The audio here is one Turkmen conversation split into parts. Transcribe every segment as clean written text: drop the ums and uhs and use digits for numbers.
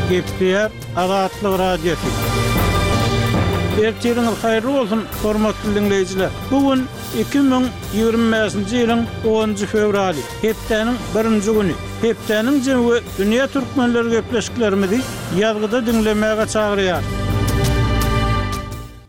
Gepleýär Azatlyk Radiosy. Ertiriňiz haýyrly bolsun, hormatly diňleýjiler! Bu gün 2025-nji ýylyň onunjy fewraly, hepdäniň birinji güni. Hepdäniň jemi we dünýä türkmenleri gepleşiklerimizi ýazgyda diňlemäge çagyrýar.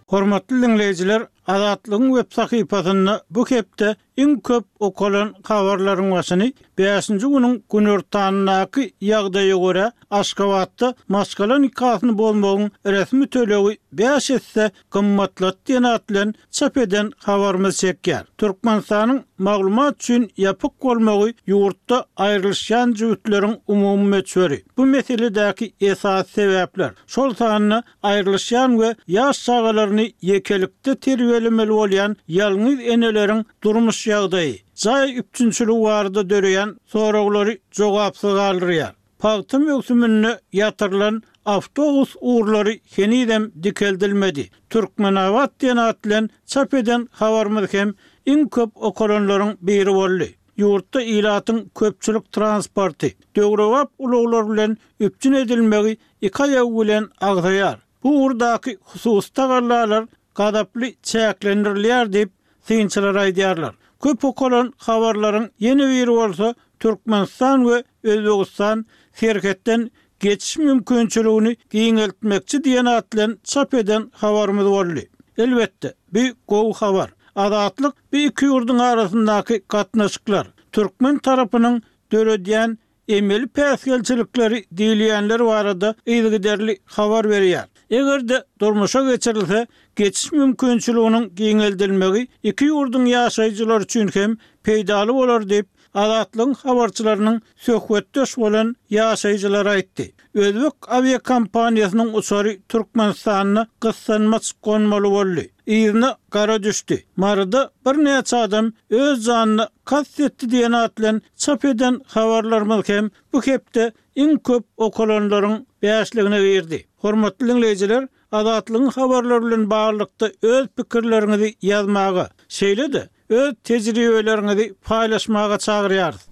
Hormatly diňleýjiler, Azatlygyň web sahypasynda bu hepde iň köp okalan habarlaryň başyny bäşinji günüň günortanyndaky ýagdaýa görä, Aşgabatda maşgala nikasyny bozmagyň resmi tölegi bäş esse gymmatlady diýen at bilen çap eden habarymyz çekýär. Türkmenistanyň maglumat üçin ýapyk bolmagy ýurtda aýrylyşýan jübütleriň umumy möçberi, bu meseledäki esasy sebäpler, şol sanda aýrylyşýan we ýaş çagalaryny ýekelikde terbiýelemeli bolýan ýalňyz eneleriň durmuş ýagdaýy, jaý üpjünçiligi barada döreýän soraglary jogapsyz galdyrýar. Pagta möwsüminde ýatyrylan awtobus ugurlary henizem dikeldilmedi. Türkmenabat diýen at bilen çap eden habarymyz hem iň köp okalanlaryň biri boldy. Ýurtda ilatyň köpçülik transporty, döwrebap ulaglar bilen üpjün edilmegi iki aýagy bilen agzaýar. Bu ugurdaky hususy tagallalar gazaply çäklendirilýär diýip, synçylar aýdýarlar. Köp okalan habarlaryň ýene biri bolsa Türkmenistan we Özbegistan serhetden geçiş mümkinçiligini giňeltmekçi diýen at bilen çap eden habarymyz boldy. Elbetde, bu gowy habar. Azatlyk bu iki ýurduň arasyndaky gatnaşyklar, türkmen tarapynyň döredýän emeli päsgelçilikleri diýilýänler barada yzygiderli habar berýär. Eger-de durmuşa geçirilse, geçiş mümkinçiliginiň giňeldilmegi iki ýurduň ýaşaýjylary üçin hem peýdaly bolar diýip, Azatlygyň habarçylarynyň söhbetdeş bolan ýaşaýjylary aýtdy. Özbek awiakompaniýasynyň uçary Türkmenistanda gyssanmaç gonmaly boldy. Yzyna gara düşdi. Maryda birnäçe adam öz janyna kast etdi diýen at bilen çap eden habarlarymyz hem bu hepde iň köp okalanlaryň bäşligine girdi. Hormatly diňleýjiler, Azatlygyň habarlary bilen baglylykda öz pikirleriňizi ýazmaga, şeýle-de öz tejribeleriňizi paýlaşmaga çagyrýarys.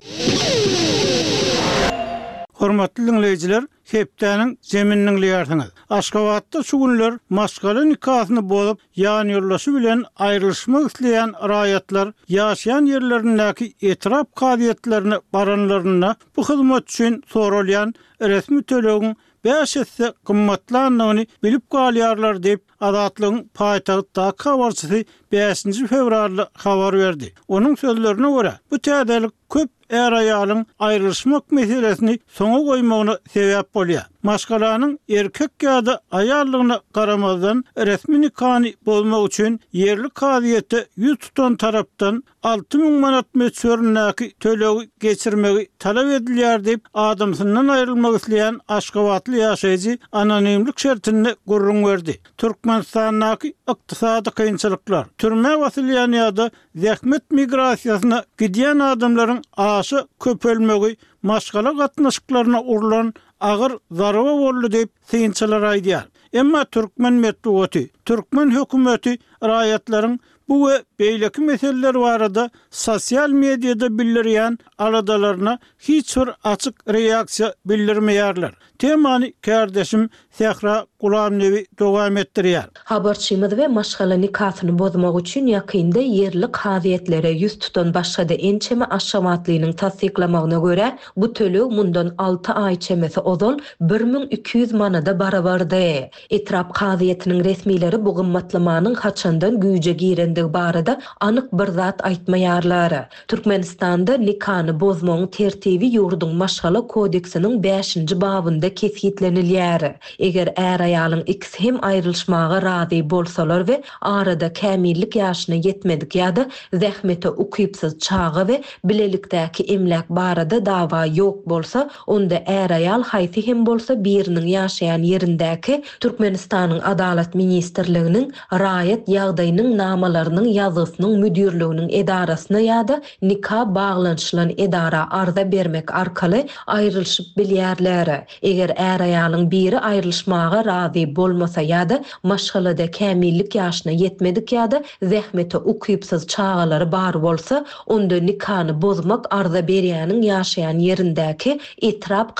Hormatly diňleýjiler, hepdäniň jemini diňleýärsiňiz. Aşgabatda şu günler maşgala nikasyny bozup, ýanýoldaşy bilen aýrylyşmak isleýän raýatlar ýaşaýan ýerlerindäki etrap kazyýetlerine baranlarynda bu hyzmat üçin soralýan resmi tölegiň bäş esse gymmatlandygyny bilip galýarlar diýip, Azatlygyň paýtagtdaky habarçysy bäşinji fewralda habar berdi. Onuň sözlerine görä, bu täzelik köp är-aýalyň aýrylyşmak meselesini soňa goýmagyna sebäp bolýar. Maşgalanyň erkek ýa-da aýaldygyna garamazdan, resmi nikany bozmak üçin ýerli kazyýete ýüz tutan tarapdan 6000 manat möçberindäki tölegi geçirmegi talap edilýär diýip, adamsyndan aýrylmak isleýän aşgabatly ýaşaýjy anonimlik şertinde gürrüň berdi. Türkmenistandaky ykdysady kynçylyklar, türmä basylýan ýa-da zähmet migrasiýasyna gidýän adamlaryň aşa köpelmegi maşgala gatnaşyklaryna urlan agyr zarba boldy diýip, synçylar aýdýar. Emma türkmen metbugaty, türkmen hökümeti raýatlaryň Bu we beýleki meseleler barada sosial mediada bildirýän aladalaryna hiç bir açyk reaksiýa bildirmeýärler. Temany kärdeşim Sähra Gulamnebi dowam etdirýär. Habarçymyz we maşgala nikasyny bozmak üçin ýakynda ýerli kazyýetlere ýüz tutan başga-da ençeme aşgabatlynyň tassyklamagyna görä, bu töleg mundan alty aý çemesi ozal 1200 manada barabardy. Etrap kazyýetiniň resmileri bu gymmatlamanyň haçandan güýje girendigi barada anyk bir zat aýtmaýarlar. Türkmenistanda nikany bozmagyň tertibi ýurduň Maşgala kodeksiniň bäşinji babynda kesgitlenilýär. Eger är-aýalyň ikisi hem aýrylyşmaga razy bolsalar we arada kämillik ýaşyna ýetmedik ýa-da zähmete ukypsyz çaga we bilelikdäki emläk barada dawa ýok bolsa, onda är-aýal haýsy hem bolsa biriniň ýaşaýan ýerindäki Türkmenistanyň Adalat ministrliginiň Raýat ýagdaýynyň namalarynyň ýazgysynyň müdirliginiň edarasyna ýa-da nika baglanyşylan edara arza bermek arkaly aýrylyşyp bilýärler. Eger är-aýalyň biri aýrylyşmaga razy bolmasa ýa-da maşgalada kämillik ýaşyna ýetmedik ýa-da zähmete ukypsyz çagalary bar bolsa, onda nikany bozmak arza berýäniň ýaşaýan ýerindäki etrap.